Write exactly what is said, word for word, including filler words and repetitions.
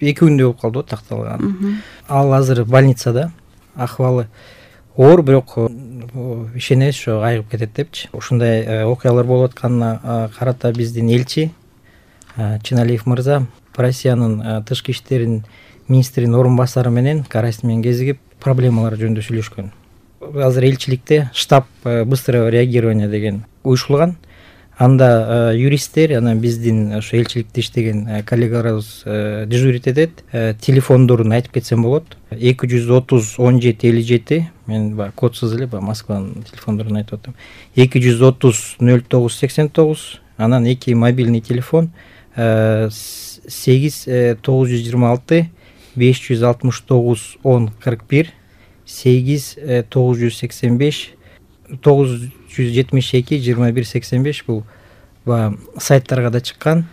эки күндөй болуп калды го такталган. Ал азыр больницада, акыбалы оор, бирок ишенебиз ошо айыгып кетет депчи. Ушундай окуялар болуп атканына карата биздин элчи Чиналиев мырза Россиянын тышкы иштерин министринин орун басары менен Карасин менен кезигип проблемалар жөнүндө сүйлөшкөн. Азыр элчиликте штаб быстрого реагирования деген уюшулган. Анда юристтер, анан биздин ошо элчиликте иштеген коллегаларыбыз дежурить этет. Телефондорун айтып кетсем болот. эки жүз отуз он жети элүү жети, мен баягы кодсуз эле баягы Москванын телефондорун айтып атам. эки жүз отуз нөл тогуз сексен тогуз, анан эки мобильный телефон сегиз тогуз жүз жыйырма алты беш жүз алтымыш тогуз он кырк бир, сегиз тогуз жүз сексен беш тогуз жүз жетимиш эки жыйырма бир сексен беш. Бул баягы сайттарга да чыккан.